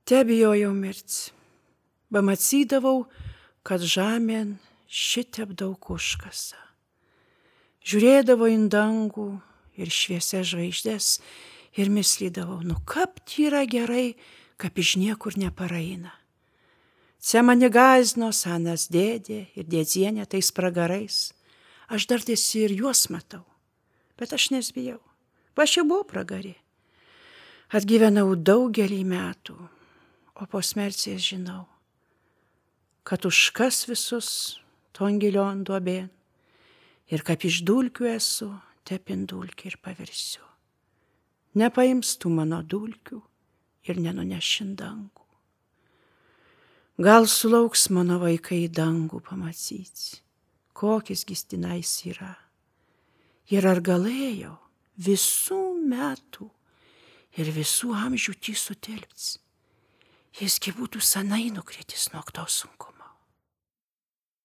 Tebijojau mirti. Pamatydavau, kad žemėn šitiep daug užkasa. Žiūrėdavau į dangų ir šviesias žvaigždės ir myslydavau, kap yra gerai, kap iš niekur neparaina. Čia mane gąsdino senas dėdė ir dėdzienė tais pragarais. Aš dar tiesi ir juos matau, bet aš nesbijau. Aš jau buvau pragarė. Atgyvenau daugelį metų, o po smerties žinau, kad užkas visus ton gilion duobėn ir kaip iš dulkių esu, tepin dulkį ir pavirsiu. Nepaims tų mano dulkių ir nenunešin dangų. Gal sulauks mano vaikai į dangų pamatyti, kokis gistinais yra. Ir ar galėjo visų metų ir visų amžių tį sutelpti, jisgi būtų senai nukritis nuo to sunkumo.